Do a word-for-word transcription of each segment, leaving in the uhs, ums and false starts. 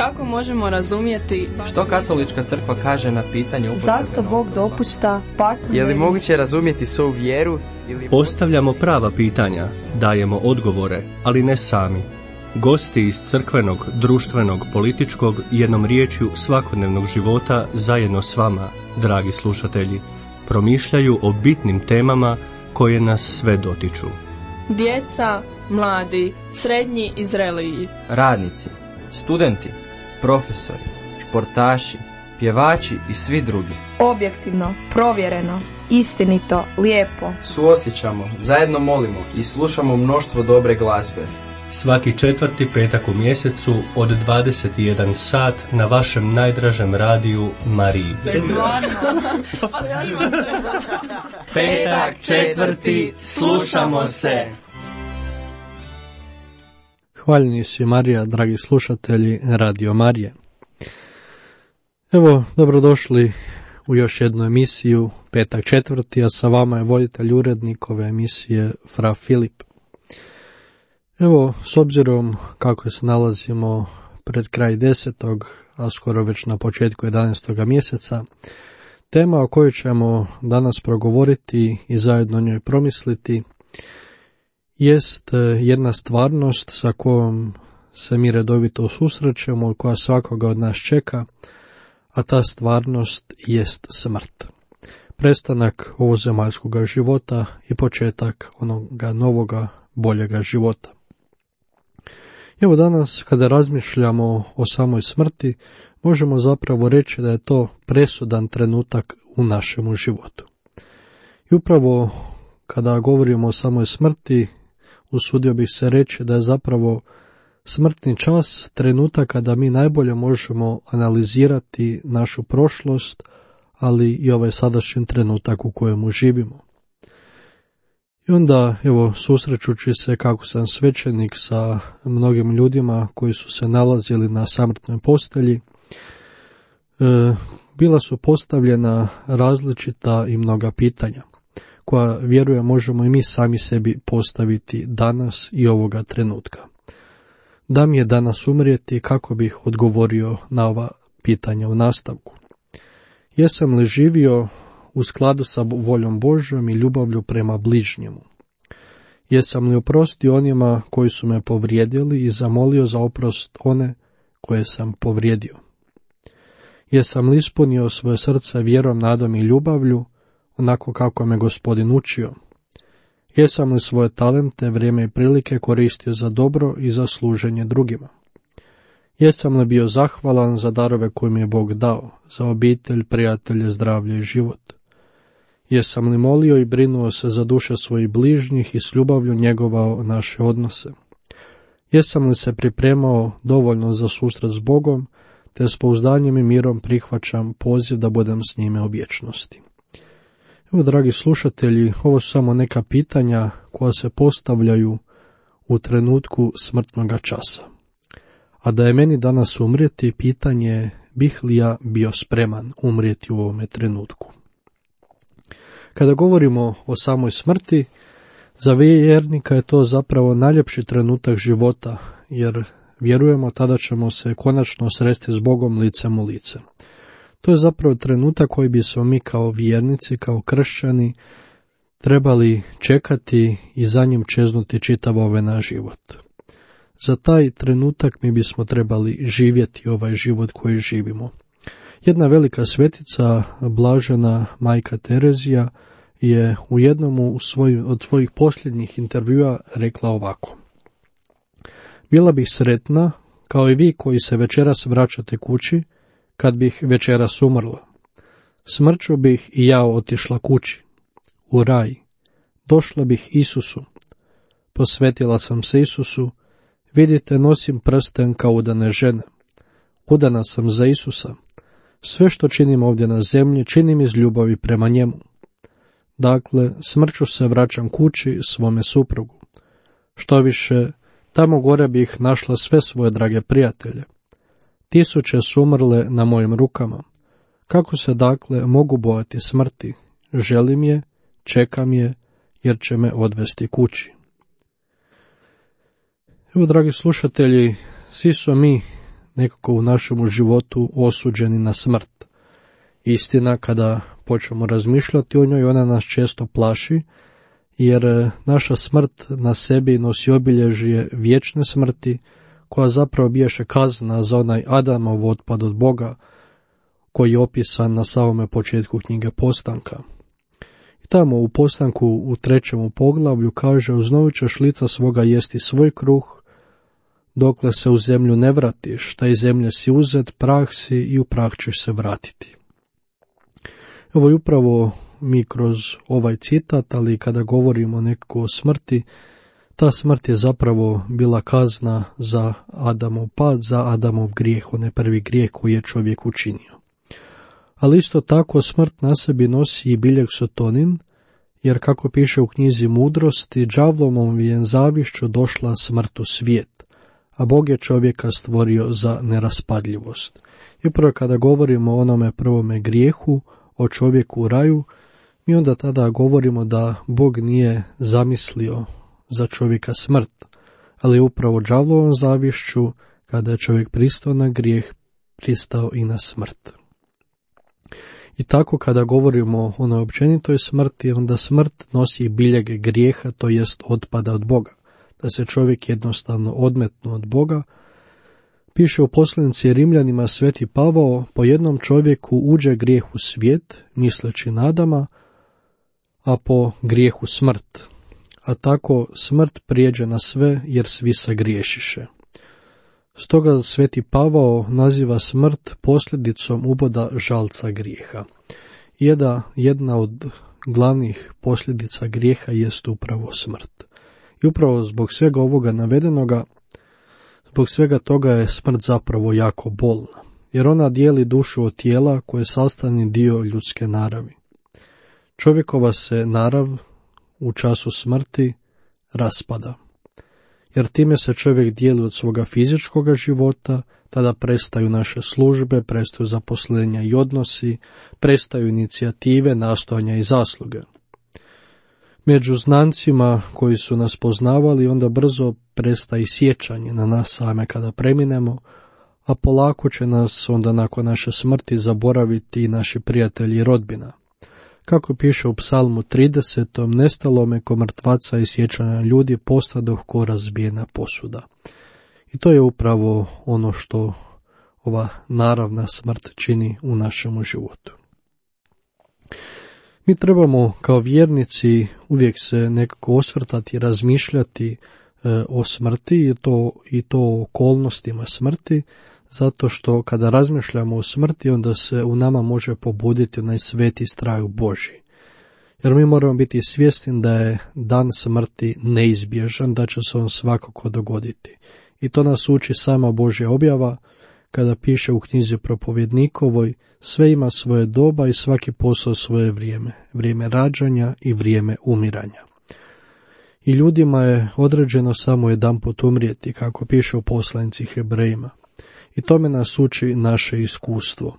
Kako možemo razumjeti što katolička crkva kaže na pitanje upotrebe zašto Bog dopušta patnju? Je li moguće razumjeti svoju vjeru? Ili... Postavljamo prava pitanja, dajemo odgovore, ali ne sami. Gosti iz crkvenog, društvenog, političkog i jednom riječju svakodnevnog života zajedno s vama, dragi slušatelji, promišljaju o bitnim temama koje nas sve dotiču. Djeca, mladi, srednji i zreliji, radnici, studenti, profesori, športaši, pjevači i svi drugi. Objektivno, provjereno, istinito, lijepo. Suosjećamo, zajedno molimo i slušamo mnoštvo dobre glazbe. Svaki četvrti petak u mjesecu od dvadeset i jedan sat na vašem najdražem radiju Mariji. Petak četvrti, slušamo se. Hvaljeni si Marija, dragi slušatelji Radio Marije. Evo, dobrodošli u još jednu emisiju, petak četvrti, a sa vama je voditelj urednik ove emisije, Fra Filip. Evo, s obzirom kako se nalazimo pred kraj desetog, a skoro već na početku jedanaestog mjeseca, tema o kojoj ćemo danas progovoriti i zajedno o njoj promisliti jest jedna stvarnost sa kojom se mi redovito susrećemo i koja svakoga od nas čeka, a ta stvarnost jest smrt. Prestanak ovozemaljskoga života i početak onoga novoga, boljega života. Evo danas, kada razmišljamo o samoj smrti, možemo zapravo reći da je to presudan trenutak u našemu životu. I upravo kada govorimo o samoj smrti, usudio bih se reći da je zapravo smrtni čas trenutak kada mi najbolje možemo analizirati našu prošlost, ali i ovaj sadašnji trenutak u kojemu živimo. I onda, evo, susrećući se kako sam svećenik sa mnogim ljudima koji su se nalazili na samrtnoj postelji, e, bila su postavljena različita i mnoga pitanja, koja, vjerujem, možemo i mi sami sebi postaviti danas i ovoga trenutka. Da mi je danas umrijeti, kako bih odgovorio na ova pitanja u nastavku? Jesam li živio u skladu sa voljom Božjom i ljubavlju prema bližnjemu? Jesam li oprostio onima koji su me povrijedili i zamolio za oprost one koje sam povrijedio? Jesam li ispunio svoje srce vjerom, nadom i ljubavlju, onako kako me Gospodin učio? Jesam li svoje talente, vrijeme i prilike koristio za dobro i za služenje drugima? Jesam li bio zahvalan za darove koje mi je Bog dao, za obitelj, prijatelje, zdravlje i život? Jesam li molio i brinuo se za duše svojih bližnjih i s ljubavlju njegovao naše odnose? Jesam li se pripremao dovoljno za susret s Bogom, te s pouzdanjem i mirom prihvaćam poziv da budem s njime u vječnosti? Evo, dragi slušatelji, ovo su samo neka pitanja koja se postavljaju u trenutku smrtnoga časa. A da je meni danas umrijeti, pitanje je bih li ja bio spreman umrijeti u ovome trenutku. Kada govorimo o samoj smrti, za vjernika je to zapravo najljepši trenutak života, jer vjerujemo tada ćemo se konačno sresti s Bogom licem u lice. To je zapravo trenutak koji bi se mi kao vjernici, kao kršćani, trebali čekati i za njim čeznuti čitav ovaj naš život. Za taj trenutak mi bismo trebali živjeti ovaj život koji živimo. Jedna velika svetica, blažena majka Terezija, je u jednom u svoj, od svojih posljednjih intervjua rekla ovako: bila bih sretna, kao i vi koji se večeras vraćate kući, kad bih večeras umrla. Smrću bih i ja otišla kući, u raj. Došla bih Isusu. Posvetila sam se Isusu. Vidite, nosim prsten kao udane žene. Udana sam za Isusa. Sve što činim ovdje na zemlji, činim iz ljubavi prema njemu. Dakle, smrću se vraćam kući svome suprugu. Što više, tamo gore bih našla sve svoje drage prijatelje. Tisuće su umrle na mojim rukama. Kako se dakle mogu bojati smrti? Želim je, čekam je, jer će me odvesti kući. Evo, dragi slušatelji, svi smo mi nekako u našemu životu osuđeni na smrt. Istina, kada počnemo razmišljati o njoj, ona nas često plaši, jer naša smrt na sebi nosi obilježje vječne smrti, koja zapravo biješe kazna za onaj Adamov otpad od Boga, koji je opisan na samome početku knjige Postanka. I tamo u Postanku u trećem poglavlju kaže: "Uznovat ćeš lica svoga jesti svoj kruh, dokle se u zemlju ne vratiš, taj zemlje si uzet, prah si i u prah ćeš se vratiti." Evo i upravo mi kroz ovaj citat, ali kada govorimo nekako o smrti, ta smrt je zapravo bila kazna za Adamov pad, za Adamov grijeh, onaj prvi grijeh koji je čovjek učinio. Ali isto tako smrt na sebi nosi i biljeg sotonin, jer kako piše u knjizi Mudrosti, đavlovom je zavišću došla smrt u svijet, a Bog je čovjeka stvorio za neraspadljivost. I upravo kada govorimo o onome prvome grijehu, o čovjeku u raju, mi onda tada govorimo da Bog nije zamislio za čovjeka smrt, ali upravo đavlovom zavišću, kada je čovjek pristao na grijeh, pristao i na smrt. I tako kada govorimo o onoj općenitoj smrti, onda smrt nosi biljeg grijeha, to jest otpada od Boga, da se čovjek jednostavno odmetnu od Boga. Piše u poslanici Rimljanima sveti Pavao: "Po jednom čovjeku uđe grijeh u svijet, misleći na Adama, a po grijehu smrt. A tako smrt prijeđe na sve, jer svi sagriješiše." Stoga sveti Pavao naziva smrt posljedicom uboda žalca grijeha. Jedna, jedna od glavnih posljedica grijeha jest upravo smrt. I upravo zbog svega ovoga navedenoga, zbog svega toga je smrt zapravo jako bolna, jer ona dijeli dušu od tijela koje je sastavni dio ljudske naravi. Čovjekova se narav u času smrti raspada, jer time se čovjek dijeli od svoga fizičkoga života, tada prestaju naše službe, prestaju zaposlenja i odnosi, prestaju inicijative, nastojanja i zasluge. Među znancima koji su nas poznavali, onda brzo prestaje sjećanje na nas same kada preminemo, a polako će nas onda nakon naše smrti zaboraviti i naši prijatelji i rodbina. Kako piše u Psalmu tridesetom, "Nestalo me ko mrtvaca i sjećanja ljudi, postadoh ko razbijena posuda." I to je upravo ono što ova naravna smrt čini u našemu životu. Mi trebamo kao vjernici uvijek se nekako osvrtati i razmišljati e, o smrti i to, i to o okolnostima smrti, zato što kada razmišljamo o smrti, onda se u nama može pobuditi onaj sveti strah Božji. Jer mi moramo biti svjesni da je dan smrti neizbježan, da će se on svakako dogoditi. I to nas uči sama Božja objava, kada piše u knjizi Propovjednikovoj: "Sve ima svoje doba i svaki posao svoje vrijeme, vrijeme rađanja i vrijeme umiranja." I ljudima je određeno samo jedanput umrijeti, kako piše u poslanici Hebrejima. I tome nas uči naše iskustvo.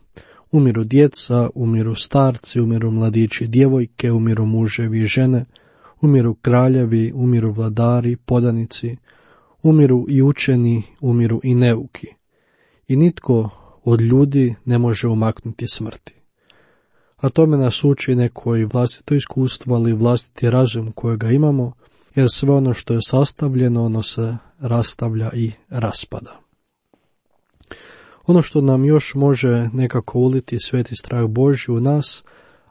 Umiru djeca, umiru starci, umiru mladići i djevojke, umiru muževi i žene, umiru kraljevi, umiru vladari, podanici, umiru i učeni, umiru i neuki. I nitko od ljudi ne može umaknuti smrti. A tome nas uči neko i vlastito iskustvo, ali i vlastiti razum kojega imamo, jer sve ono što je sastavljeno, ono se rastavlja i raspada. Ono što nam još može nekako uliti sveti strah Božji u nas,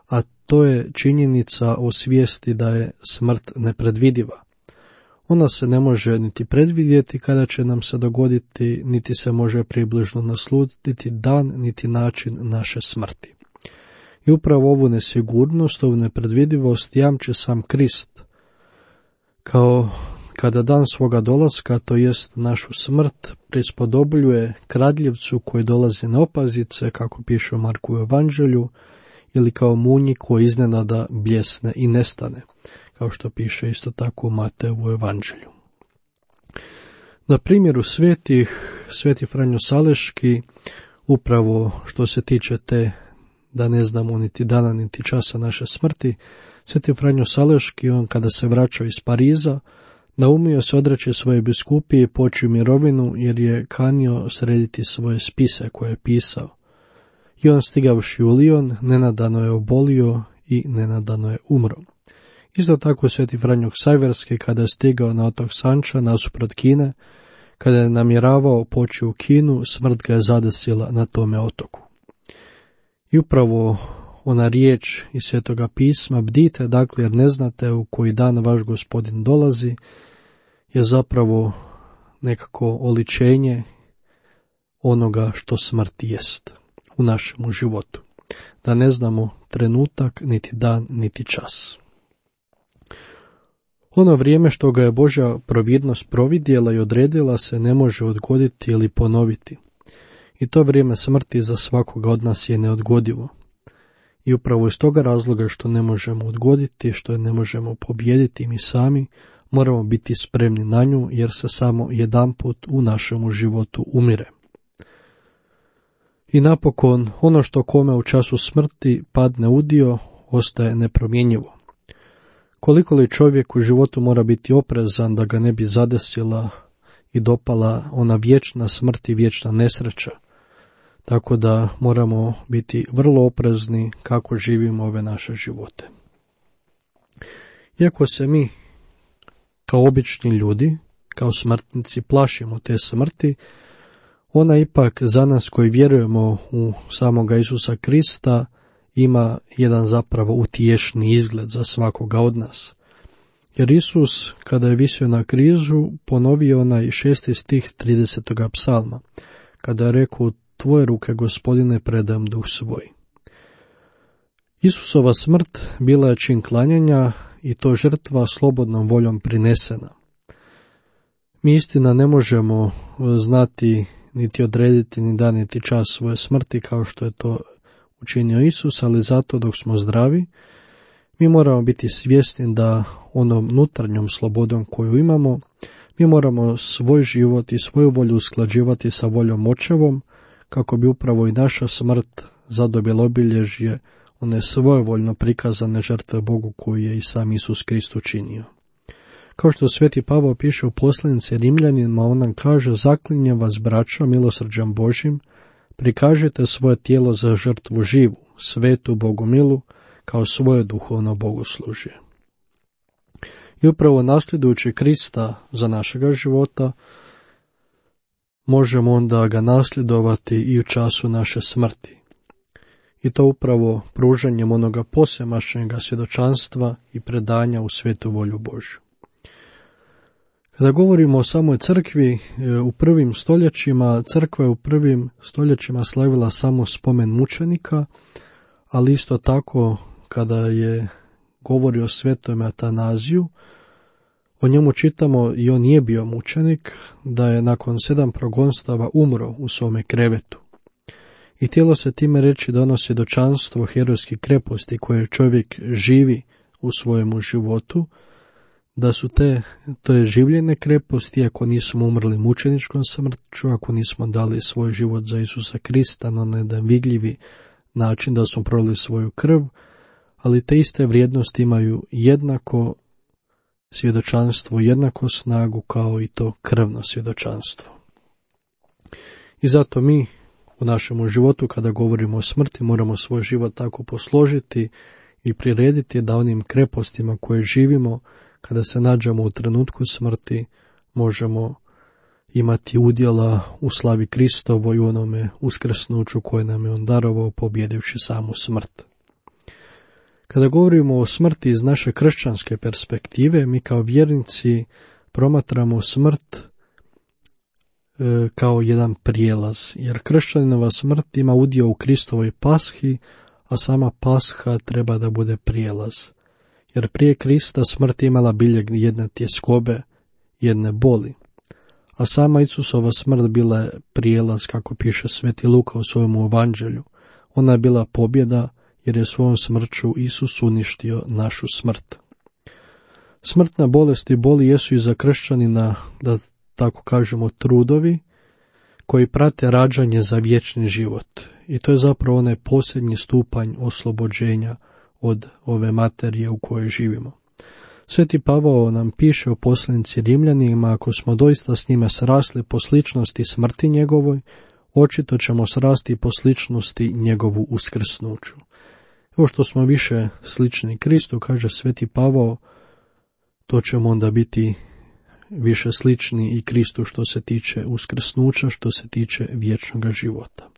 a to je činjenica o svijesti da je smrt nepredvidiva. Ona se ne može niti predvidjeti kada će nam se dogoditi, niti se može približno naslutiti dan, niti način naše smrti. I upravo ovu nesigurnost, ovu nepredvidivost jamči sam Krist, kao kada dan svoga dolaska, to jest našu smrt, prispodobljuje kradljivcu koji dolazi na opazice, kako piše u Marku evanđelju, ili kao munji koji iznenada bljesne i nestane, kao što piše isto tako u Mateju evanđelju. Na primjeru svetih, sveti Franjo Saleški, upravo što se tiče te, da ne znamo niti dana niti časa naše smrti, sveti Franjo Saleški, on kada se vraćao iz Pariza, Naumio se odreći svoje biskupije i poći u mirovinu, jer je kanio srediti svoje spise koje je pisao. I on, stigavši u Lion, nenadano je obolio i nenadano je umro. Isto tako sveti Franjo Ksajverski, kada je stigao na otok Sanča nasuprot Kine, kada je namjeravao poći u Kinu, smrt ga je zadesila na tome otoku. I upravo ona riječ iz Svetoga pisma, bdite, dakle, jer ne znate u koji dan vaš Gospodin dolazi, je zapravo nekako oličenje onoga što smrt jest u našemu životu. Da ne znamo trenutak, niti dan, niti čas. Ono vrijeme što ga je Božja providnost providjela i odredila se ne može odgoditi ili ponoviti. I to vrijeme smrti za svakoga od nas je neodgodivo. I upravo iz toga razloga što ne možemo odgoditi, što je ne možemo pobijediti mi sami, moramo biti spremni na nju, jer se samo jedanput u našemu životu umire. I napokon, ono što kome u času smrti padne u dio, ostaje nepromjenjivo. Koliko li čovjek u životu mora biti oprezan da ga ne bi zadesila i dopala ona vječna smrt i vječna nesreća, tako da moramo biti vrlo oprezni kako živimo ove naše živote. Iako se mi, kao obični ljudi, kao smrtnici, plašimo te smrti, ona ipak za nas koji vjerujemo u samoga Isusa Krista ima jedan zapravo utješni izgled za svakoga od nas. Jer Isus, kada je visio na križu, ponovio onaj šesti stih tridesetoga psalma, kada je rekao, tvoje ruke, Gospodine, predam duh svoj. Isusova smrt bila je čin klanjanja i to žrtva slobodnom voljom prinesena. Mi istina ne možemo znati niti odrediti ni dan niti čas svoje smrti kao što je to učinio Isus, ali zato dok smo zdravi, mi moramo biti svjesni da onom unutarnjom slobodom koju imamo, mi moramo svoj život i svoju volju usklađivati sa voljom Očevom, kako bi upravo i naša smrt zadobila obilježje one svojevoljno prikazane žrtve Bogu koju je i sam Isus Krist učinio. Kao što sveti Pavao piše u poslanici Rimljanima, on nam kaže, zaklinjem vas, braćo, milosrđem Božim, prikažite svoje tijelo za žrtvu živu, svetu, Bogomilu, kao svoje duhovno bogoslužje. I upravo nasljedujući Krista za našega života, možemo onda ga nasljedovati i u času naše smrti. I to upravo pružanjem onoga posvemašnjega svjedočanstva i predanja u svetu volju Božju. Kada govorimo o samoj crkvi, u prvim stoljećima, crkva je u prvim stoljećima slavila samo spomen mučenika, ali isto tako kada je govori o svetom Atanaziju, o njemu čitamo i on nije bio mučenik, da je nakon sedam progonstava umro u svome krevetu. I htjelo se time reći da ono svjedočanstvo herojske kreposti koje čovjek živi u svojemu životu, da su te, to je življene kreposti, ako nismo umrli mučeničkom smrću, ako nismo dali svoj život za Isusa Krista na jedan vidljivi način, da smo prolili svoju krv, ali te iste vrijednosti imaju jednako svjedočanstvo, jednako snagu kao i to krvno svjedočanstvo. I zato mi u našemu životu, kada govorimo o smrti, moramo svoj život tako posložiti i prirediti da onim krepostima koje živimo, kada se nađemo u trenutku smrti, možemo imati udjela u slavi Kristovoj i u onome uskrsnuću koje nam je on darovao, pobjedivši samu smrt. Kada govorimo o smrti iz naše kršćanske perspektive, mi kao vjernici promatramo smrt e, kao jedan prijelaz, jer kršćanova smrt ima udio u Kristovoj pashi, a sama pasha treba da bude prijelaz. Jer prije Krista smrt imala biljeg jedne tjeskobe, jedne boli, a sama Isusova smrt bila je prijelaz, kako piše sveti Luka u svojom evanđelju. Ona je bila pobjeda, jer je svojom smrću Isus uništio našu smrt. Smrtna bolest i boli jesu i za kršćanina, da tako kažemo, trudovi, koji prate rađanje za vječni život. I to je zapravo onaj posljednji stupanj oslobođenja od ove materije u kojoj živimo. Sveti Pavao nam piše u poslanici Rimljanima, ako smo doista s njime srasli po sličnosti smrti njegovoj, očito ćemo srasti po sličnosti njegovu uskrsnuću. Evo što smo više slični Kristu, kaže Sveti Pavao, to ćemo onda biti više slični i Kristu što se tiče uskrsnuća, što se tiče vječnog života.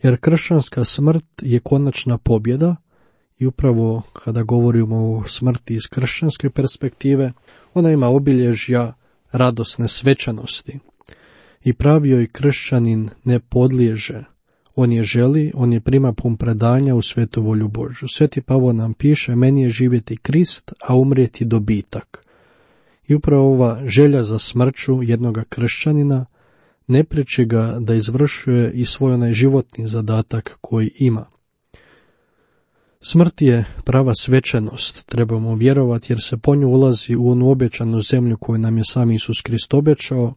Jer kršćanska smrt je konačna pobjeda i upravo kada govorimo o smrti iz kršćanske perspektive, ona ima obilježja radosne svečanosti. I pravi joj kršćanin ne podliježe. On je želi, on je prima pun predanja u svetu volju Božju. Sveti Pavao nam piše, meni je živjeti Krist, a umrijeti dobitak. I upravo ova želja za smrću jednoga kršćanina ne priječi ga da izvršuje i svoj onaj životni zadatak koji ima. Smrt je prava svečanost, trebamo vjerovati, jer se po nju ulazi u onu obećanu zemlju koju nam je sam Isus Krist obećao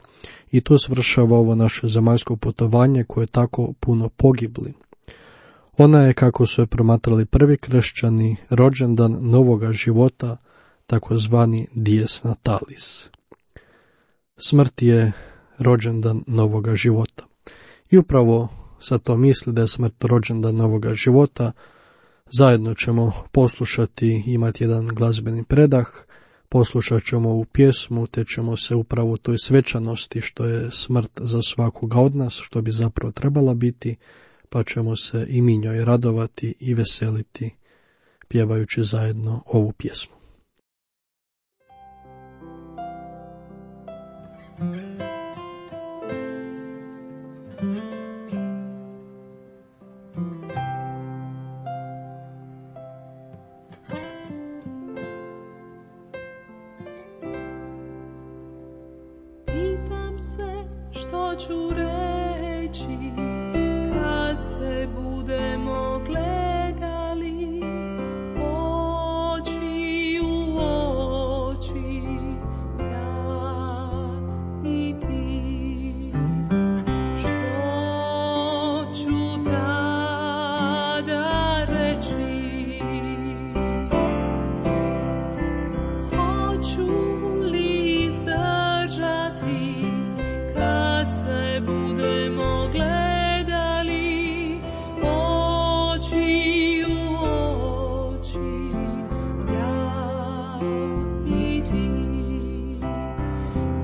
i to svršava ovo naše zemaljsko putovanje koje je tako puno pogibli. Ona je, kako su je promatrali prvi kršćani, rođendan novoga života, takozvani dies natalis. Smrt je rođendan novoga života. I upravo sa to misli da je smrt rođendan novoga života. Zajedno ćemo poslušati, imati jedan glazbeni predah, poslušat ćemo ovu pjesmu, te ćemo se upravo toj svečanosti što je smrt za svakoga od nas, što bi zapravo trebala biti, pa ćemo se i mi njoj radovati i veseliti, pjevajući zajedno ovu pjesmu. Ću reći kad se budemo gledali oči u oči, ja i ti, što ću tada reći, hoću li izdržati kad se budemo gledali oči u oči, ja i ti,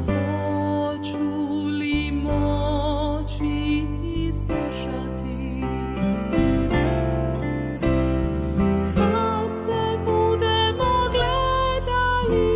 hoću li moći izdržati kad se budemo gledali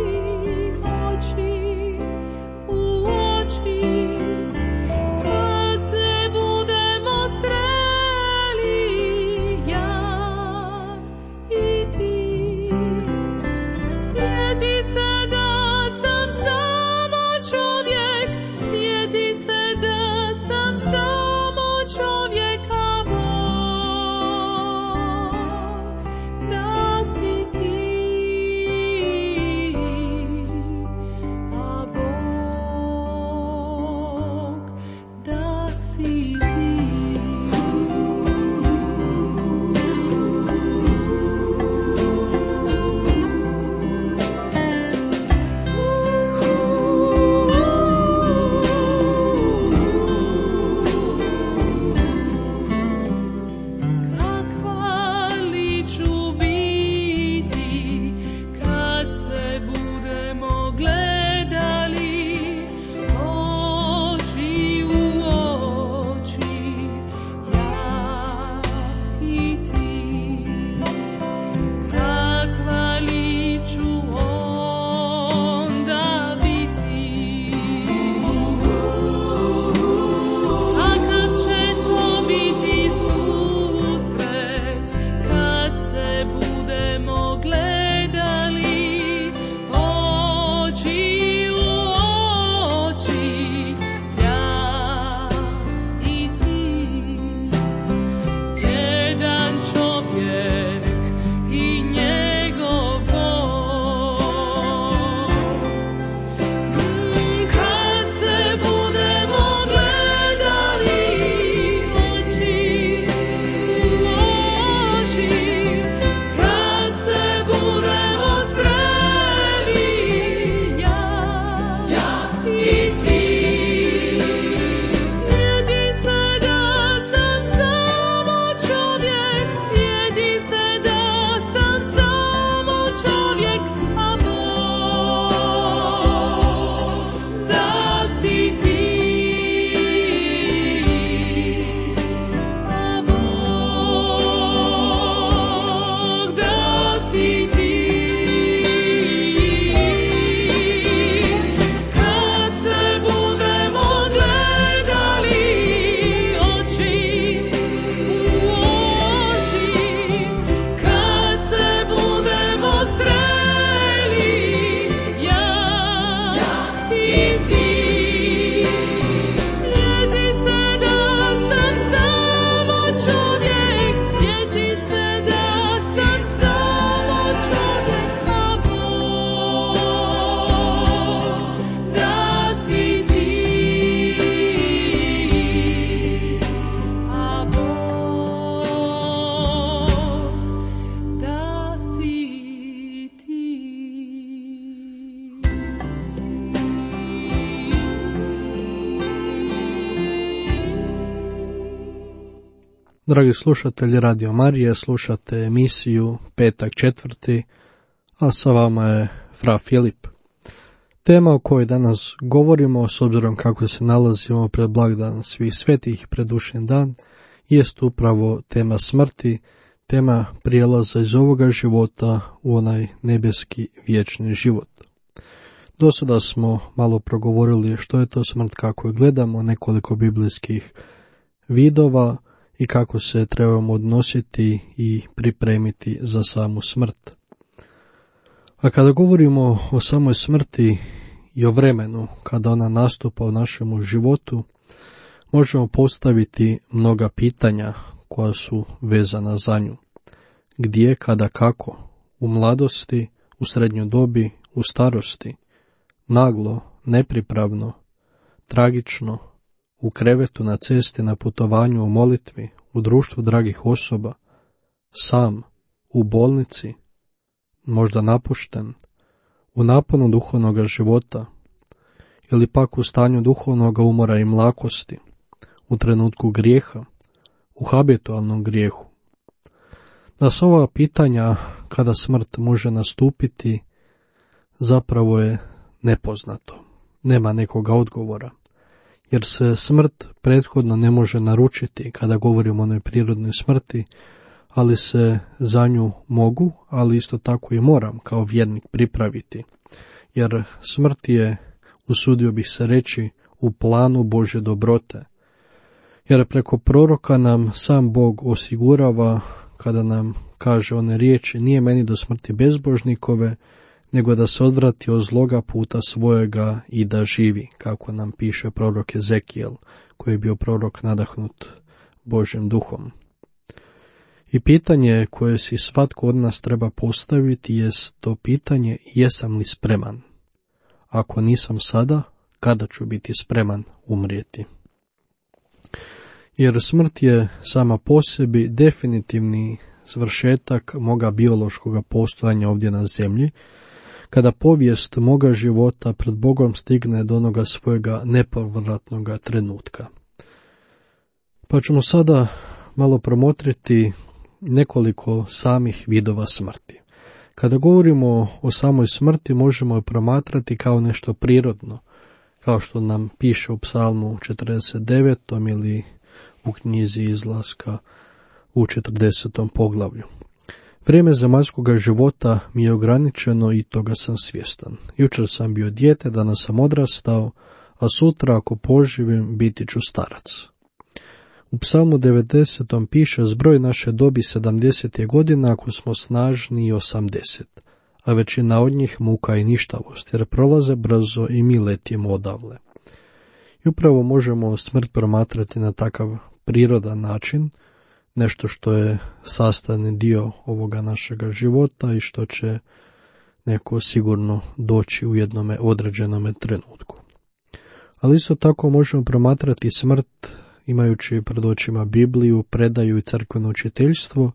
Dragi slušatelji Radio Marije, slušate emisiju Petak četvrti, a sa vama je fra Filip. Tema o kojoj danas govorimo, s obzirom kako se nalazimo pred blagdan svih svetih predušnji dan, jest upravo tema smrti, tema prijelaza iz ovoga života u onaj nebeski vječni život. Do sada smo malo progovorili što je to smrt, kako je gledamo, nekoliko biblijskih vidova i kako se trebamo odnositi i pripremiti za samu smrt. A kada govorimo o samoj smrti i o vremenu kada ona nastupa u našemu životu, možemo postaviti mnoga pitanja koja su vezana za nju. Gdje, kada, kako? U mladosti, u srednjoj dobi, u starosti? Naglo, nepripravno, tragično, u krevetu, na cesti, na putovanju, u molitvi, u društvu dragih osoba, sam, u bolnici, možda napušten, u naponu duhovnog života, ili pak u stanju duhovnog umora i mlakosti, u trenutku grijeha, u habitualnom grijehu. Da su ova pitanja kada smrt može nastupiti zapravo je nepoznato, nema nekoga odgovora, jer se smrt prethodno ne može naručiti kada govorimo o onoj prirodnoj smrti, ali se za nju mogu, ali isto tako i moram kao vjernik pripraviti, jer smrt je, usudio bih se reći, u planu Božje dobrote, jer preko proroka nam sam Bog osigurava kada nam kaže one riječi: nije meni do smrti bezbožnikove, nego da se odvrati od zloga puta svojega i da živi, kako nam piše prorok Ezekijel, koji je bio prorok nadahnut Božjim duhom. I pitanje koje si svatko od nas treba postaviti jest to pitanje: jesam li spreman? Ako nisam sada, kada ću biti spreman umrijeti? Jer smrt je sama po sebi definitivni svršetak moga biološkog postojanja ovdje na zemlji, kada povijest moga života pred Bogom stigne do onoga svojega nepovratnog trenutka. Pa ćemo sada malo promotriti nekoliko samih vidova smrti. Kada govorimo o samoj smrti, možemo je promatrati kao nešto prirodno, kao što nam piše u Psalmu četrdeset devetom ili u knjizi Izlaska u četrdesetom poglavlju. Vrijeme zemaljskoga života mi je ograničeno i toga sam svjestan. Jučer sam bio dijete, danas sam odrastao, a sutra ako poživim biti ću starac. U Psalmu devedesetom piše: zbroj naše dobi sedamdeset je godina ako smo snažni i osamdeset, a većina od njih muka i ništavost, jer prolaze brzo i mi letimo odavle. I upravo možemo smrt promatrati na takav prirodan način, nešto što je sastavni dio ovoga našega života i što će neko sigurno doći u jednome određenome trenutku. Ali isto tako možemo promatrati smrt imajući pred očima Bibliju, predaju i crkveno učiteljstvo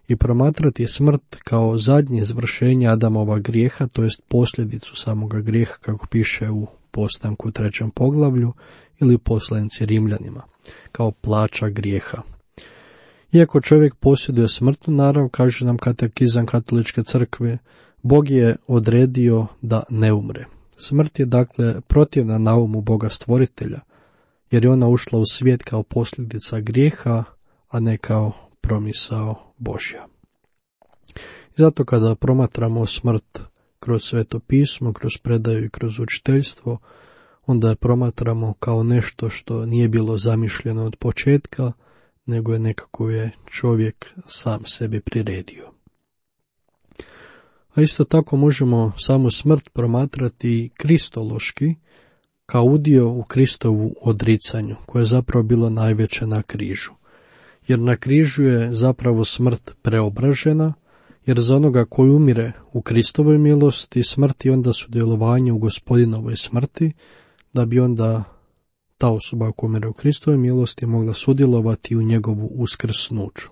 i promatrati smrt kao zadnje izvršenje Adamova grijeha, to jest posljedicu samoga grijeha, kako piše u postanku u trećem poglavlju ili poslanici Rimljanima, kao plaća grijeha. Iako čovjek posjeduje smrtnu narav, kaže nam katekizam katoličke crkve, Bog je odredio da ne umre. Smrt je dakle protivna naumu Boga stvoritelja, jer je ona ušla u svijet kao posljedica grijeha, a ne kao promisao Božja. I zato kada promatramo smrt kroz Sveto pismo, kroz predaju i kroz učiteljstvo, onda je promatramo kao nešto što nije bilo zamišljeno od početka, nego je nekako je čovjek sam sebi priredio. A isto tako možemo samu smrt promatrati kristološki, kao udio u Kristovu odricanju, koje je zapravo bilo najveće na križu. Jer na križu je zapravo smrt preobražena, jer za onoga koji umire u Kristovoj milosti, smrt je onda sudjelovanje u Gospodinovoj smrti, da bi onda ta osoba koja umire u Kristovoj milosti mogla sudjelovati u njegovu uskrsnuću.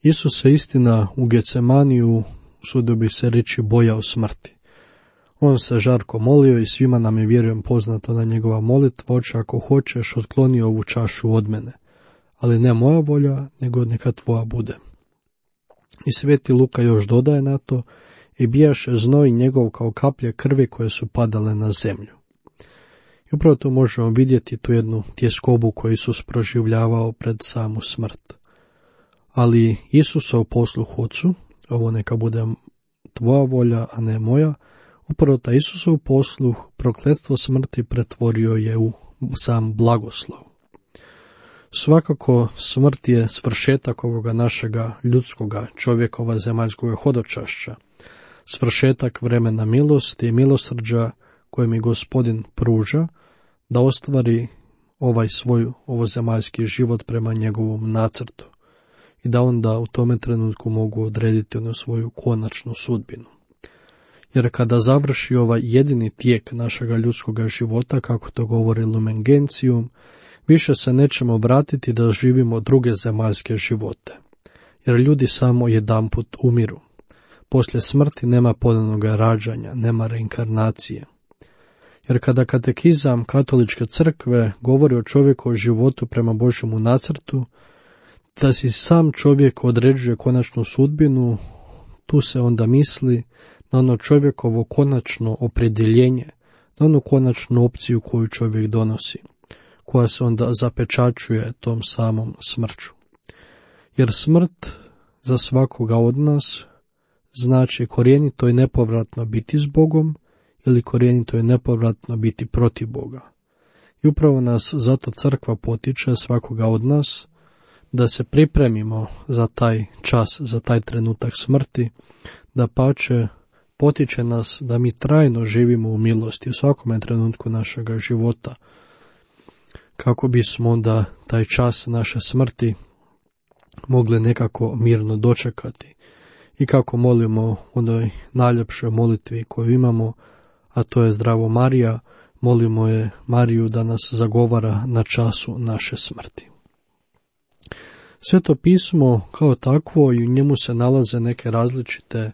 Isus se istina u Gecemaniju, usudio bi se reći, bojao smrti. On se žarko molio i svima nam je, vjerujem, poznata na njegova molitva: Oče, ako hoćeš, otkloni ovu čašu od mene, ali ne moja volja, nego neka tvoja bude. I sveti Luka još dodaje na to, i bijaše znoj njegov kao kaplje krvi koje su padale na zemlju. I upravo tu možemo vidjeti tu jednu tjeskobu koju Isus proživljavao pred samu smrt. Ali Isusa u posluhu Ocu, ovo neka bude tvoja volja, a ne moja, upravo ta Isusov posluh prokletstvo smrti pretvorio je u sam blagoslov. Svakako smrt je svršetak ovoga našega ljudskoga čovjekova zemaljskog hodočašća, svršetak vremena milosti i milosrđa koje mi Gospodin pruža da ostvari ovaj svoj ovozemaljski život prema njegovom nacrtu i da onda u tome trenutku mogu odrediti onu svoju konačnu sudbinu. Jer kada završi ovaj jedini tijek našega ljudskoga života, kako to govori Lumen Gentium, više se nećemo vratiti da živimo druge zemaljske živote, jer ljudi samo jedanput umiru. Poslije smrti nema ponovnog rađanja, nema reinkarnacije. Jer kada katekizam katoličke crkve govori o čovjeku o životu prema Božjemu nacrtu, da si sam čovjek određuje konačnu sudbinu, tu se onda misli na ono čovjekovo konačno opredjeljenje, na onu konačnu opciju koju čovjek donosi, koja se onda zapečačuje tom samom smrću. Jer smrt za svakoga od nas znači korijenito i nepovratno biti s Bogom ili korijenito i nepovratno biti protiv Boga. I upravo nas zato crkva potiče svakoga od nas da se pripremimo za taj čas, za taj trenutak smrti, da pače potiče nas da mi trajno živimo u milosti u svakome trenutku našega života, kako bismo onda taj čas naše smrti mogli nekako mirno dočekati i kako molimo u onoj najljepšoj molitvi koju imamo, a to je Zdravo Marija, molimo je Mariju da nas zagovara na času naše smrti. Sveto pismo kao takvo i u njemu se nalaze neke različite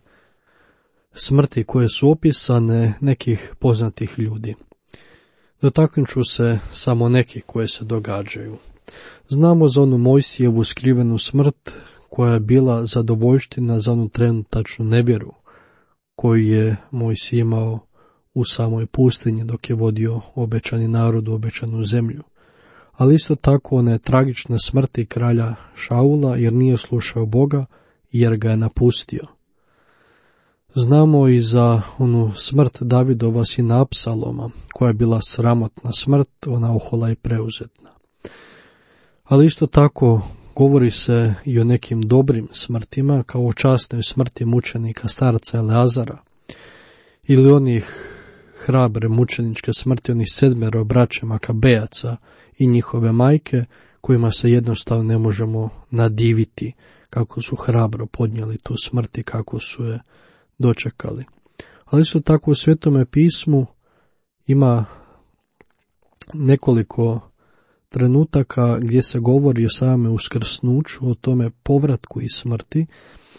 smrti koje su opisane nekih poznatih ljudi. Dotaknut ću se samo nekih koje se događaju. Znamo za onu Mojsijevu skrivenu smrt koja je bila zadovoljština za onu trenutačnu nevjeru koju je Mojsij imao u samoj pustinji dok je vodio obećani narod u obećanu zemlju. Ali isto tako one tragične smrti kralja Šaula jer nije slušao Boga jer ga je napustio. Znamo i za onu smrt Davidova sina Apsaloma, koja je bila sramotna smrt, ona ohola i preuzetna. Ali isto tako govori se i o nekim dobrim smrtima, kao o časnoj smrti mučenika starca Eleazara, ili onih hrabre mučeničke smrti, onih sedmero braće Makabejaca i njihove majke, kojima se jednostavno ne možemo nadiviti kako su hrabro podnijeli tu smrt i kako su je dočekali. Ali isto tako u Svetome pismu ima nekoliko trenutaka gdje se govori o same uskrsnuću, o tome povratku iz smrti,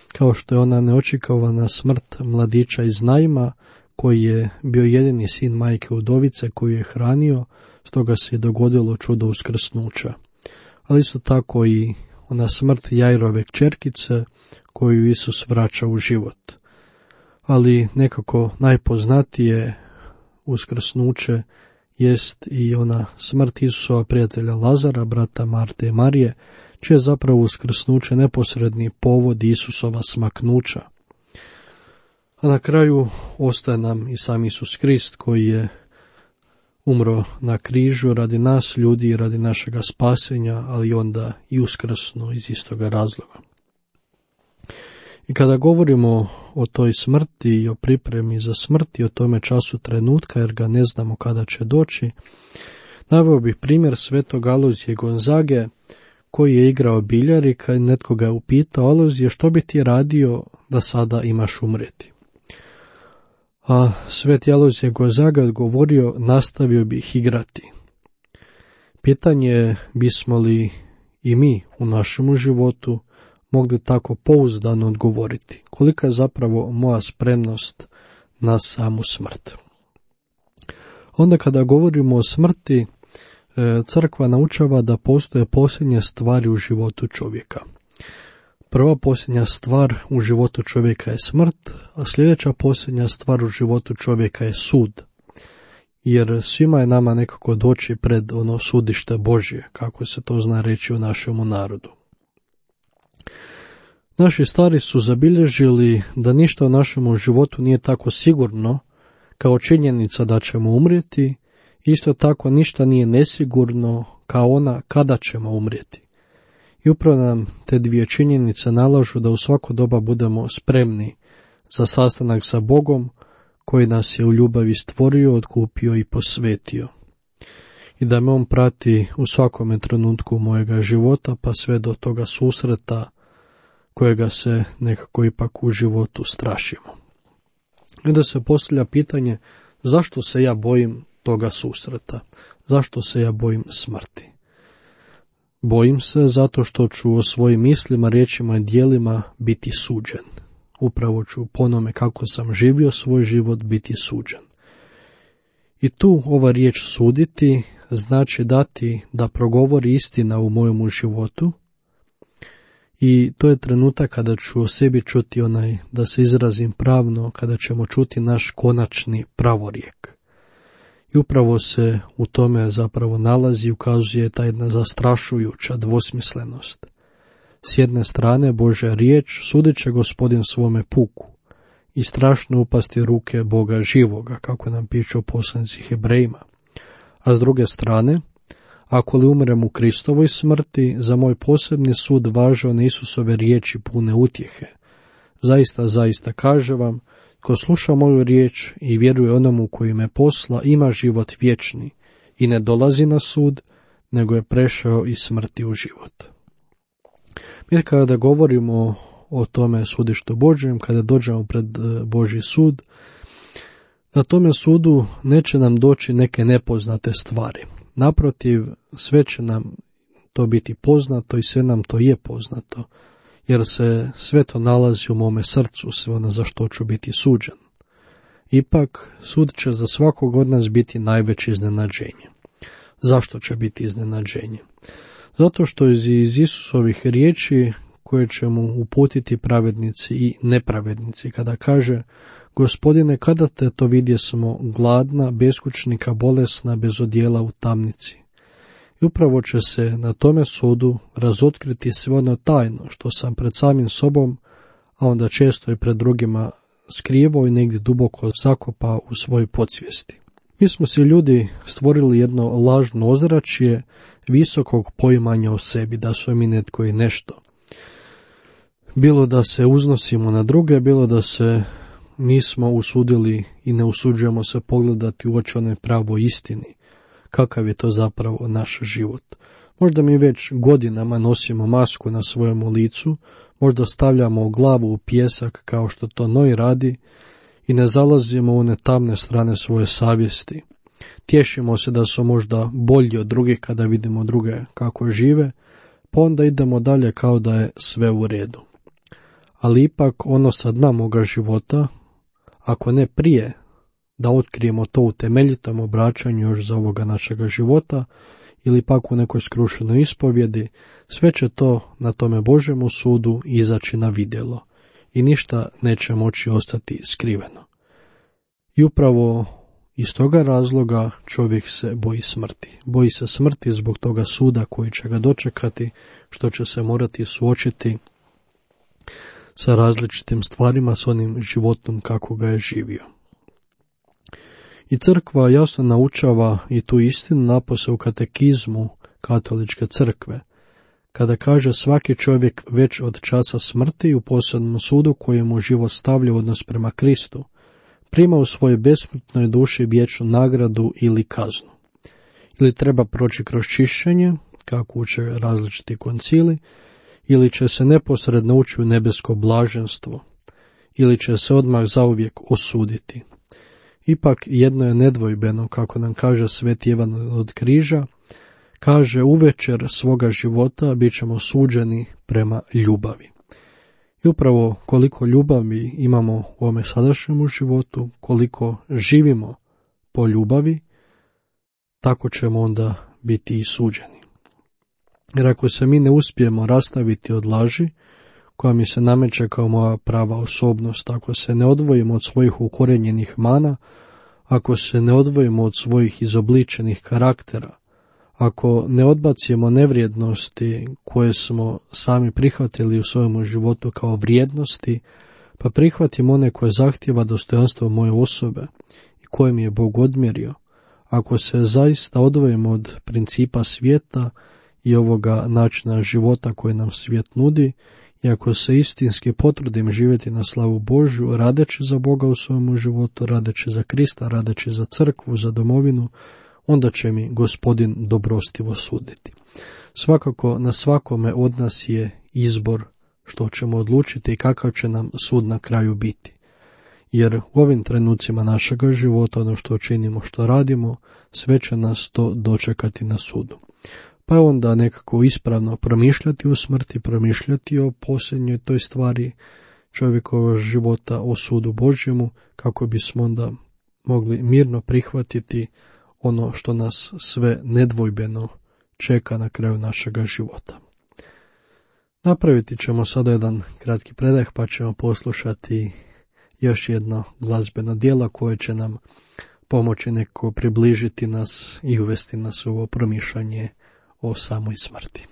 kao što je ona neočekivana smrt mladića iz Naima, koji je bio jedini sin majke udovice koju je hranio, stoga se je dogodilo čudo uskrsnuća. Ali isto tako i ona smrt Jairove kćerkice koju Isus vraća u život. Ali nekako najpoznatije uskrsnuće jest i ona smrt Isusova prijatelja Lazara, brata Marte i Marije, čije je zapravo uskrsnuće neposredni povod Isusova smaknuća. A na kraju ostaje nam i sam Isus Krist koji je umro na križu radi nas ljudi i radi našega spasenja, ali onda i uskrsnuo iz istoga razloga. I kada govorimo o toj smrti i o pripremi za smrt i o tome času trenutka, jer ga ne znamo kada će doći, naveo bih primjer svetog Alojzija Gonzage, koji je igrao biljar i kad netko ga je upitao: Alojzije, što bi ti radio da sada imaš umrijeti? A sveti Alojzije Gonzaga je odgovorio: nastavio bih igrati. Pitanje je bismo li i mi u našemu životu mogli tako pouzdano odgovoriti, kolika je zapravo moja spremnost na samu smrt. Onda kada govorimo o smrti, Crkva naučava da postoje posljednje stvari u životu čovjeka. Prva posljednja stvar u životu čovjeka je smrt, a sljedeća posljednja stvar u životu čovjeka je sud. Jer svima je nama nekako doći pred ono sudište Božje, kako se to zna reći u našemu narodu. Naši stari su zabilježili da ništa u našemu životu nije tako sigurno kao činjenica da ćemo umrijeti, isto tako ništa nije nesigurno kao ona kada ćemo umrijeti. I upravo nam te dvije činjenice nalažu da u svako doba budemo spremni za sastanak sa Bogom koji nas je u ljubavi stvorio, otkupio i posvetio. I da me on prati u svakome trenutku mojega života pa sve do toga susreta kojega se nekako ipak u životu strašimo. I da se postavlja pitanje zašto se ja bojim toga susreta, zašto se ja bojim smrti. Bojim se zato što ću o svojim mislima, riječima i djelima biti suđen. Upravo ću po onome kako sam živio svoj život biti suđen. I tu ova riječ suditi znači dati da progovori istina u mojemu životu i to je trenutak kada ću o sebi čuti onaj, da se izrazim pravno, kada ćemo čuti naš konačni pravorijek. I upravo se u tome zapravo nalazi i ukazuje ta jedna zastrašujuća dvosmislenost. S jedne strane Božja riječ sudit će Gospodin svome puku i strašno upasti ruke Boga živoga, kako nam piše u poslanici Hebrejima. A s druge strane, ako li umrem u Kristovoj smrti, za moj posebni sud važe one Isusove riječi pune utjehe. Zaista, zaista kaže vam, ko sluša moju riječ i vjeruje onomu koji me posla, ima život vječni i ne dolazi na sud, nego je prešao iz smrti u život. Mi kada govorimo o tome sudištu Božjem, kada dođemo pred Božji sud, na tome sudu neće nam doći neke nepoznate stvari. Naprotiv, sve će nam to biti poznato i sve nam to je poznato, jer se sve to nalazi u mome srcu, sve ono za što ću biti suđen. Ipak, sud će za svakog od nas biti najveće iznenađenje. Zašto će biti iznenađenje? Zato što iz Isusovih riječi koje će mu uputiti pravednici i nepravednici, kada kaže: Gospodine, kada te to vidje smo gladna, beskućnika, bolesna, bez odjela u tamnici. I upravo će se na tome sudu razotkriti sve ono tajno što sam pred samim sobom, a onda često i pred drugima skrivao i negdje duboko zakopao u svojoj podsvijesti. Mi smo si ljudi stvorili jedno lažno ozračje visokog poimanja o sebi, da smo mi netko i nešto. Bilo da se uznosimo na druge, bilo da se nismo usudili i ne usuđujemo se pogledati u oči onoj pravoj istini, kakav je to zapravo naš život. Možda mi već godinama nosimo masku na svojemu licu, možda stavljamo glavu u pijesak kao što to Noj radi i ne zalazimo u one tamne strane svoje savjesti. Tješimo se da su možda bolji od drugih kada vidimo druge kako žive, pa onda idemo dalje kao da je sve u redu. Ali ipak ono sa dna moga života, ako ne prije da otkrijemo to u temeljitom obraćanju još za ovoga našega života, ili pak u nekoj skrušenoj ispovjedi, sve će to na tome Božjemu sudu izaći na vidjelo i ništa neće moći ostati skriveno. I upravo iz toga razloga čovjek se boji smrti. Boji se smrti zbog toga suda koji će ga dočekati, što će se morati suočiti sa različitim stvarima, s onim životom kako ga je živio. I crkva jasno naučava i tu istinu napose u katekizmu katoličke crkve, kada kaže: svaki čovjek već od časa smrti u posebnom sudu kojemu život stavlja odnos prema Kristu, prima u svojoj besmrtnoj duši vječnu nagradu ili kaznu. Ili treba proći kroz čišćenje, kako uče različiti koncili, ili će se neposredno ući u nebesko blaženstvo, ili će se odmah zauvijek osuditi. Ipak jedno je nedvojbeno, kako nam kaže Sveti Ivan od Križa, kaže: uvečer svoga života bit ćemo suđeni prema ljubavi. I upravo koliko ljubavi imamo u ovome sadašnjemu životu, koliko živimo po ljubavi, tako ćemo onda biti i suđeni. Jer ako se mi ne uspijemo rastaviti od laži, koja mi se nameće kao moja prava osobnost, ako se ne odvojimo od svojih ukorenjenih mana, ako se ne odvojimo od svojih izobličenih karaktera, ako ne odbacimo nevrijednosti koje smo sami prihvatili u svojom životu kao vrijednosti, pa prihvatimo one koje zahtjeva dostojanstvo moje osobe i koje mi je Bog odmjerio, ako se zaista odvojimo od principa svijeta i ovoga načina života koje nam svijet nudi, i ako se istinski potrudim živjeti na slavu Božju, radeći za Boga u svojom životu, radeći za Krista, radeći za crkvu, za domovinu, onda će mi Gospodin dobrostivo suditi. Svakako na svakome od nas je izbor što ćemo odlučiti i kakav će nam sud na kraju biti. Jer u ovim trenucima našega života, ono što činimo, što radimo, sve će nas to dočekati na sudu. Pa onda nekako ispravno promišljati o smrti, promišljati o posljednjoj toj stvari čovjekovog života, o sudu Božjemu, kako bismo onda mogli mirno prihvatiti ono što nas sve nedvojbeno čeka na kraju našega života. Napraviti ćemo sada jedan kratki predah, pa ćemo poslušati još jedno glazbeno djelo koje će nam pomoći nekako približiti nas i uvesti nas u ovo promišljanje o samoj smrti.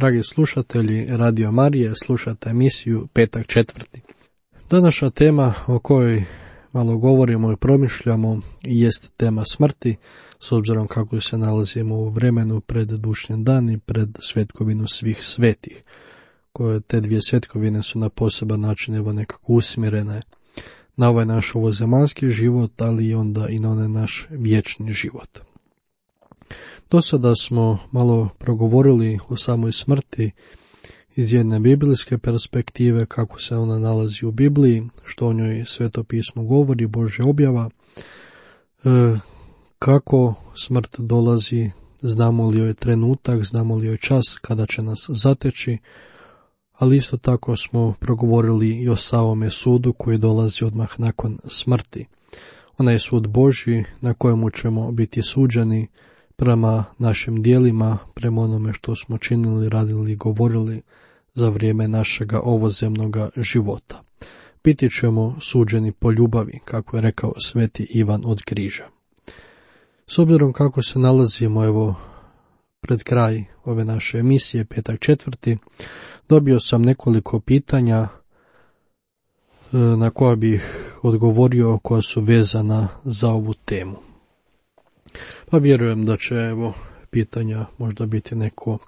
Dragi slušatelji Radio Marije, slušate emisiju Petak četvrti. Današnja tema o kojoj malo govorimo i promišljamo jest tema smrti, s obzirom kako se nalazimo u vremenu pred dušnji dan i pred svetkovinu svih svetih, koje te dvije svetkovine su na poseban način evo nekako usmjerene na ovaj naš ovozemaljski život, ali i onda i na onaj naš vječni život. Do sada smo malo progovorili o samoj smrti iz jedne biblijske perspektive, kako se ona nalazi u Bibliji, što o njoj Sveto pismo govori, Božja objava, e, kako smrt dolazi, znamo li joj trenutak, znamo li joj čas kada će nas zateći, ali isto tako smo progovorili i o samome sudu koji dolazi odmah nakon smrti. Onaj sud Božji na kojemu ćemo biti suđeni prema našim dijelima, prema onome što smo činili, radili i govorili za vrijeme našega ovozemnoga života. Biti ćemo suđeni po ljubavi, kako je rekao sveti Ivan od Križa. S obzirom kako se nalazimo evo pred kraj ove naše emisije, petak četvrti, dobio sam nekoliko pitanja na koja bih odgovorio, koja su vezana za ovu temu. Pa vjerujem da će evo pitanja možda biti neko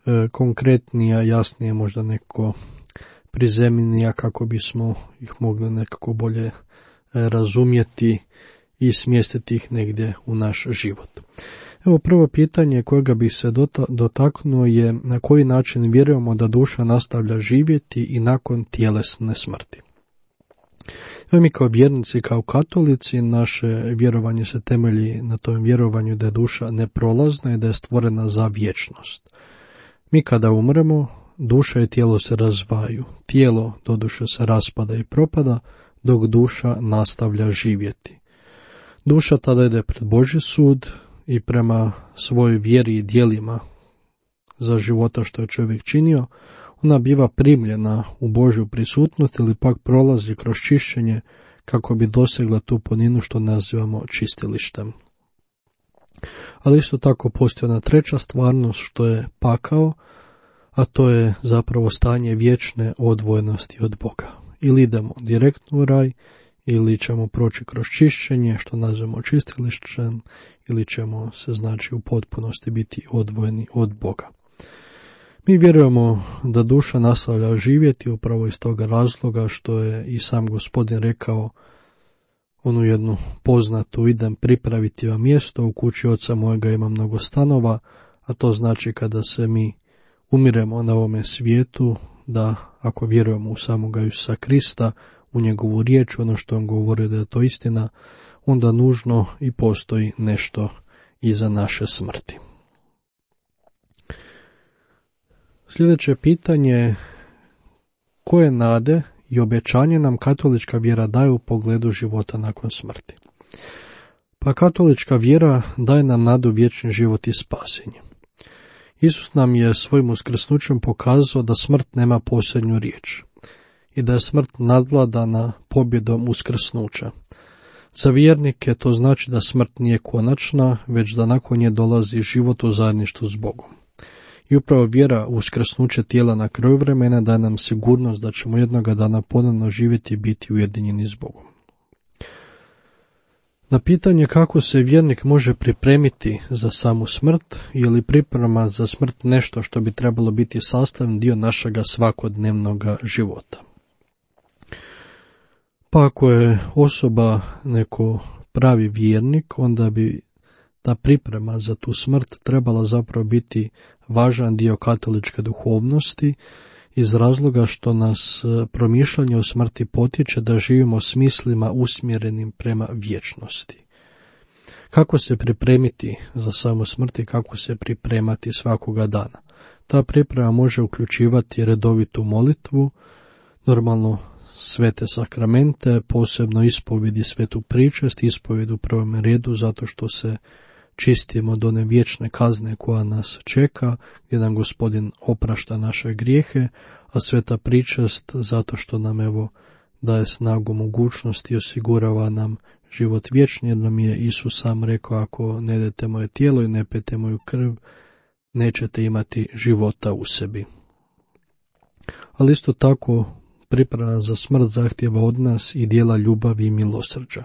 e, konkretnija, jasnije, možda neko prizemnija, kako bismo ih mogli nekako bolje e, razumjeti i smjestiti ih negdje u naš život. Evo prvo pitanje kojega bih se dotaknuo je na koji način vjerujemo da duša nastavlja živjeti i nakon tjelesne smrti. Evo mi kao vjernici, kao katolici, naše vjerovanje se temelji na tom vjerovanju da je duša neprolazna i da je stvorena za vječnost. Mi kada umremo, duša i tijelo se razdvajaju. Tijelo doduše se raspada i propada, dok duša nastavlja živjeti. Duša tada ide pred Božji sud i prema svojoj vjeri i djelima za života što je čovjek činio, ona biva primljena u Božju prisutnost ili pak prolazi kroz čišćenje kako bi dosegla tu puninu što nazivamo čistilištem. Ali isto tako postoji ona treća stvarnost što je pakao, a to je zapravo stanje vječne odvojenosti od Boga. Ili idemo direktno u raj, ili ćemo proći kroz čišćenje što nazivamo čistilištem, ili ćemo se znači u potpunosti biti odvojeni od Boga. Mi vjerujemo da duša nastavlja živjeti upravo iz toga razloga što je i sam Gospodin rekao onu jednu poznatu: idem pripraviti vam mjesto, u kući oca mojega ima mnogo stanova, a to znači kada se mi umiremo na ovome svijetu, da ako vjerujemo u samoga Isusa Krista, u njegovu riječ, ono što on govori da je to istina, onda nužno i postoji nešto iza naše smrti. Sljedeće pitanje: koje nade i obećanje nam katolička vjera daje u pogledu života nakon smrti? Pa katolička vjera daje nam nadu vječni život i spasenje. Isus nam je svojim uskrsnućem pokazao da smrt nema posljednju riječ i da je smrt nadvladana pobjedom uskrsnuća. Za vjernike to znači da smrt nije konačna, već da nakon nje dolazi život u zajedništvu s Bogom. I upravo vjera u uskrsnuće tijela na kraju vremena daje nam sigurnost da ćemo jednoga dana ponovno živjeti i biti ujedinjeni s Bogom. Na pitanje kako se vjernik može pripremiti za samu smrt, je li priprema za smrt nešto što bi trebalo biti sastavni dio našega svakodnevnog života. Pa ako je osoba neko pravi vjernik, onda bi ta priprema za tu smrt trebala zapravo biti važan dio katoličke duhovnosti, iz razloga što nas promišljanje o smrti potiče da živimo s mislima usmjerenim prema vječnosti. Kako se pripremiti za samu smrt i kako se pripremati svakoga dana? Ta priprema može uključivati redovitu molitvu, normalno svete sakramente, posebno ispovjedi svetu pričest, ispovjed u prvom redu zato što se čistimo od one vječne kazne koja nas čeka, gdje nam Gospodin oprašta naše grijehe, a sveta pričest zato što nam evo daje snagu mogućnosti i osigurava nam život vječni, jer nam je Isus sam rekao: ako ne jedete moje tijelo i ne pijete moju krv, nećete imati života u sebi. Ali isto tako priprema za smrt zahtjeva od nas i dijela ljubavi i milosrđa.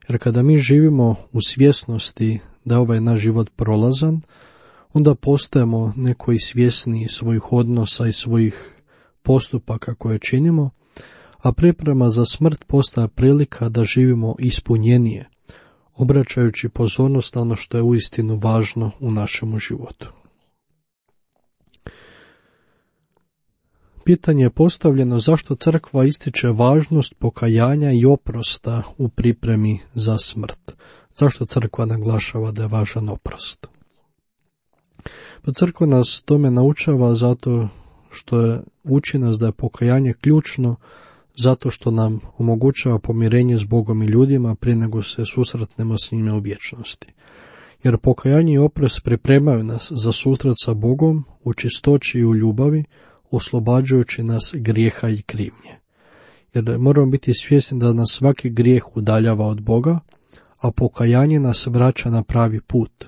Jer kada mi živimo u svjesnosti da je ovaj naš život prolazan, onda postajemo neko i svjesniji svojih odnosa i svojih postupaka koje činimo, a priprema za smrt postaje prilika da živimo ispunjenije, obraćajući pozornost na ono što je uistinu važno u našemu životu. Pitanje je postavljeno zašto crkva ističe važnost pokajanja i oprosta u pripremi za smrt. Zašto crkva naglašava da je važan oprost? Pa crkva nas tome naučava zato što je uči nas da je pokajanje ključno, zato što nam omogućava pomirenje s Bogom i ljudima prije nego se susretnemo s njime u vječnosti. Jer pokajanje i oprost pripremaju nas za susret sa Bogom u čistoći i u ljubavi, oslobađajući nas grijeha i krivnje. Jer moramo biti svjesni da nas svaki grijeh udaljava od Boga, a pokajanje nas vraća na pravi put,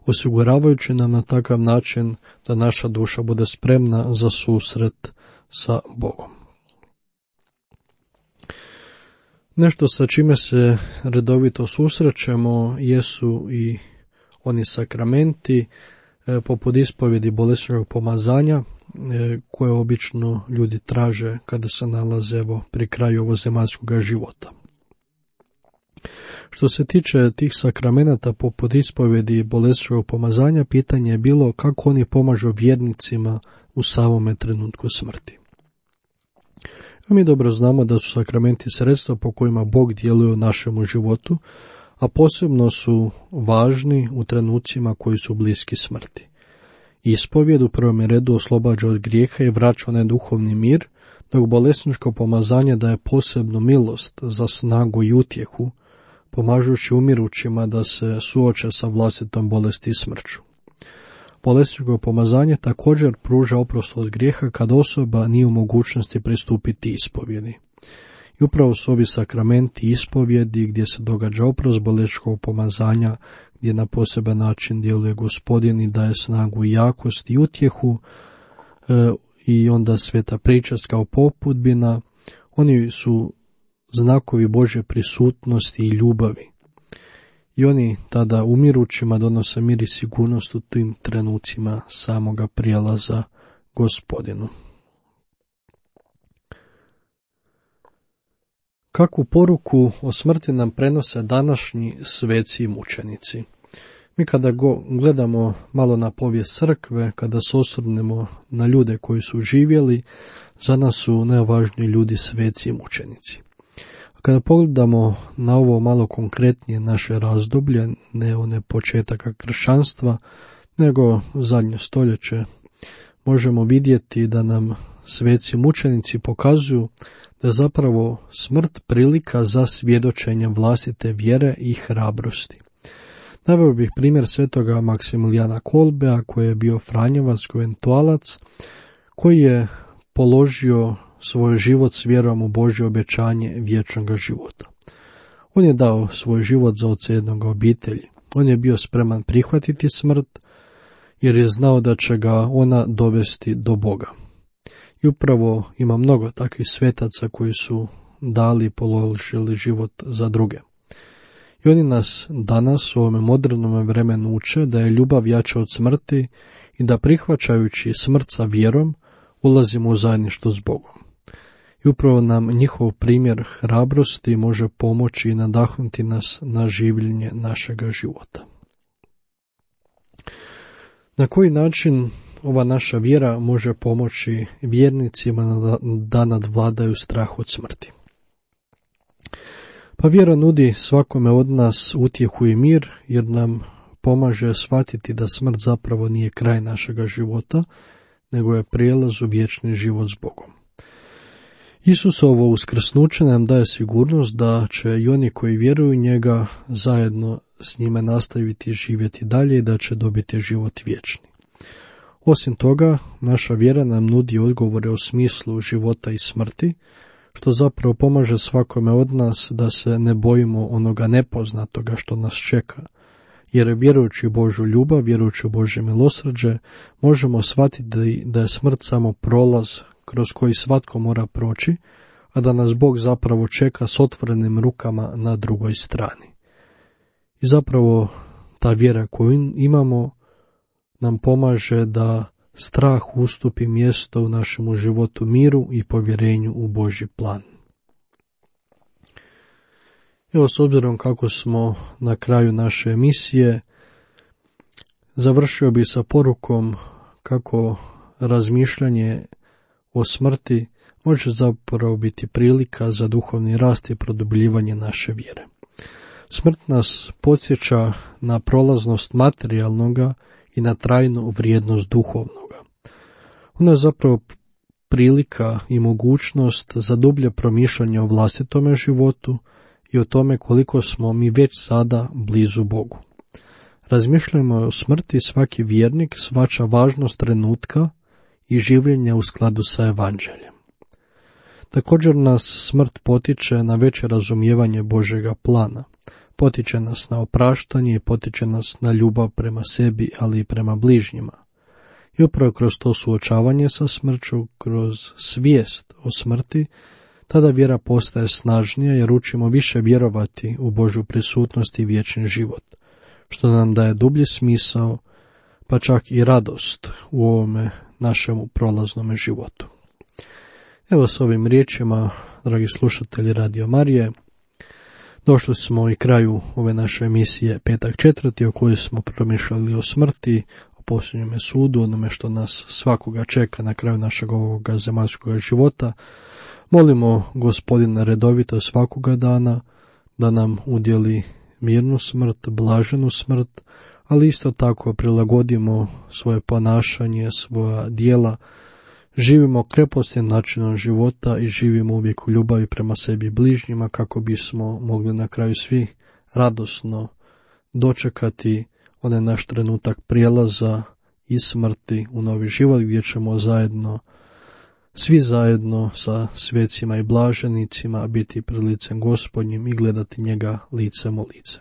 osiguravajući nam na takav način da naša duša bude spremna za susret sa Bogom. Nešto sa čime se redovito susrećemo jesu i oni sakramenti e, poput ispovjedi bolesnog pomazanja e, koje obično ljudi traže kada se nalaze evo, pri kraju ovozemaljskog života. Što se tiče tih sakramenata poput ispovjedi bolesnog pomazanja, pitanje je bilo kako oni pomažu vjernicima u samome trenutku smrti. Mi dobro znamo da su sakramenti sredstva po kojima Bog djeluje u našemu životu, a posebno su važni u trenucima koji su bliski smrti. Ispovjed u prvom redu oslobađa od grijeha i vraća onaj duhovni mir, dok bolesničko pomazanje daje posebnu milost za snagu i utjehu, pomažući umirućima da se suoče sa vlastitom bolesti i smrću. Bolesničko pomazanje također pruža oprost od grijeha kad osoba nije u mogućnosti pristupiti ispovjedi. I upravo su ovi sakramenti ispovjedi gdje se događa oprost bolesničkog pomazanja, gdje na poseban način djeluje Gospodin i daje snagu i jakost i utjehu, e, i onda sveta pričast kao popudbina. Oni su znakovi Božje prisutnosti i ljubavi. I oni tada umirućima donose mir i sigurnost u tim trenucima samoga prijelaza Gospodinu. Kakvu poruku o smrti nam prenose današnji sveci i mučenici? Mi kada go gledamo malo na povijest crkve, kada se osvrnemo na ljude koji su živjeli, za nas su najvažniji ljudi sveci i mučenici. Kada pogledamo na ovo malo konkretnije naše razdoblje, ne one početaka kršćanstva, nego zadnje stoljeće, možemo vidjeti da nam sveci mučenici pokazuju da je zapravo smrt prilika za svjedočenje vlastite vjere i hrabrosti. Naveo bih primjer svetoga Maksimilijana Kolbea, koji je bio franjevac, konventualac, koji je položio svoj život s vjerom u Božje obećanje vječnog života. On je dao svoj život za oca jednog obitelji. On je bio spreman prihvatiti smrt, jer je znao da će ga ona dovesti do Boga. I upravo ima mnogo takvih svetaca koji su dali i položili život za druge. I oni nas danas u ovome modernom vremenu uče da je ljubav jača od smrti i da prihvaćajući smrt sa vjerom ulazimo u zajedništvo s Bogom. I upravo nam njihov primjer hrabrosti može pomoći i nadahnuti nas na življenje našega života. Na koji način ova naša vjera može pomoći vjernicima da nadvladaju strah od smrti? Pa vjera nudi svakome od nas utjehu i mir, jer nam pomaže shvatiti da smrt zapravo nije kraj našega života, nego je prijelaz u vječni život s Bogom. Isusovo uskrsnuće nam daje sigurnost da će i oni koji vjeruju u njega zajedno s njime nastaviti živjeti dalje i da će dobiti život vječni. Osim toga, naša vjera nam nudi odgovore o smislu života i smrti, što zapravo pomaže svakome od nas da se ne bojimo onoga nepoznatoga što nas čeka, jer vjerujući u Božju ljubav, vjerujući u Božje milosrđe, možemo shvatiti da je smrt samo prolaz kroz koji svatko mora proći, a da nas Bog zapravo čeka s otvorenim rukama na drugoj strani. I zapravo ta vjera koju imamo nam pomaže da strah ustupi mjesto u našemu životu miru i povjerenju u Božji plan. Evo, s obzirom kako smo na kraju naše emisije, završio bi sa porukom kako razmišljanje o smrti može zapravo biti prilika za duhovni rast i produbljivanje naše vjere. Smrt nas podsjeća na prolaznost materijalnoga i na trajnu vrijednost duhovnoga. Ona je zapravo prilika i mogućnost za dublje promišljanje o vlastitome životu i o tome koliko smo mi već sada blizu Bogu. Razmišljamo o smrti, svaki vjernik shvaća važnost trenutka i življenja u skladu sa evanđeljem. Također nas smrt potiče na veće razumijevanje Božjega plana. Potiče nas na opraštanje i potiče nas na ljubav prema sebi, ali i prema bližnjima. I upravo kroz to suočavanje sa smrću, kroz svijest o smrti, tada vjera postaje snažnija jer učimo više vjerovati u Božju prisutnost i vječni život, što nam daje dublji smisao, pa čak i radost u ovome našemu prolaznome životu. Evo s ovim riječima, dragi slušatelji Radio Marije, došli smo i kraju ove naše emisije Petak četvrti, o kojoj smo promišljali o smrti, o posljednjome sudu, onome što nas svakoga čeka na kraju našeg ovoga zemaljskog života. Molimo Gospodina redovito svakoga dana da nam udjeli mirnu smrt, blaženu smrt, ali isto tako prilagodimo svoje ponašanje, svoja djela, živimo krepostnim načinom života i živimo uvijek u ljubavi prema sebi i bližnjima kako bismo mogli na kraju svi radosno dočekati onaj naš trenutak prijelaza iz smrti u novi život gdje ćemo zajedno, svi zajedno sa svecima i blaženicima biti pred licem Gospodnjim i gledati njega licem u lice.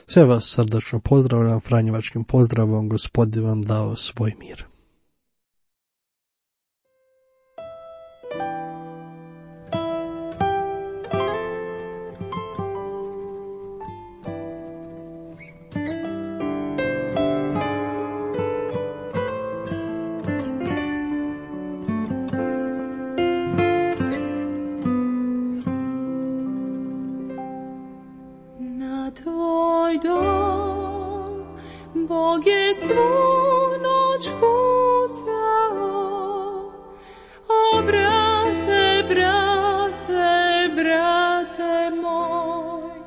Sve vas srdačno pozdravljam franjevačkim pozdravom, Gospodin vam dao svoj mir. Tvoj dom, Bog je svu noć kucao, o brate, brate, brate moj.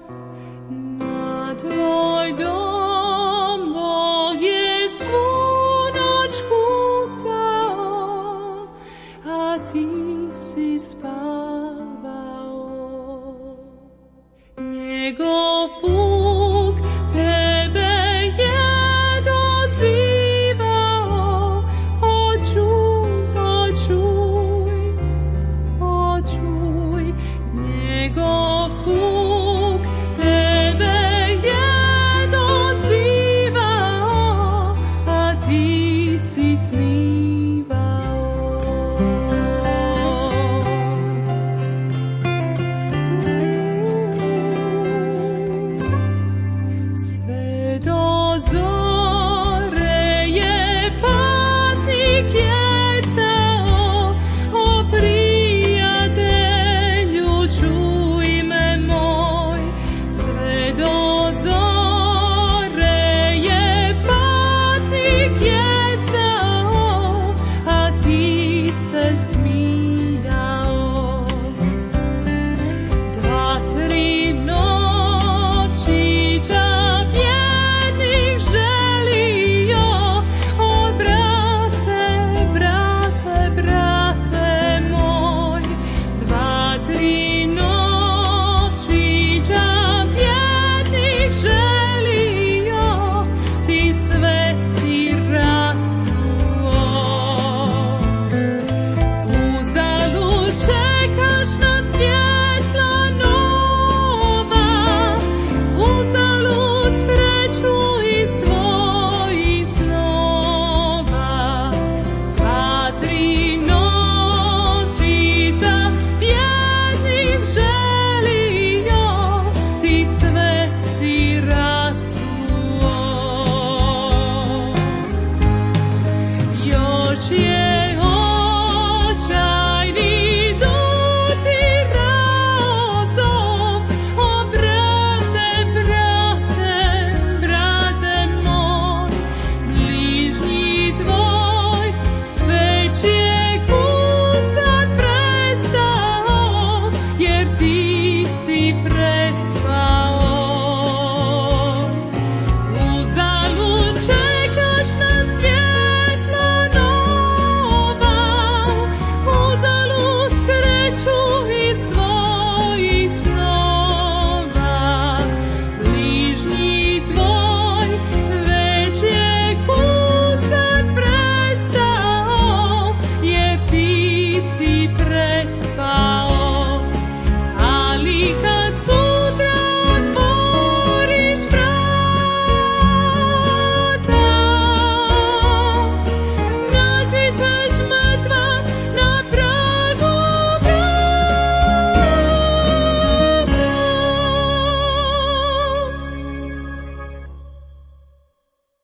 Na tvoj dom, Bog je svu noć kucao, a ti si spavao. Njegov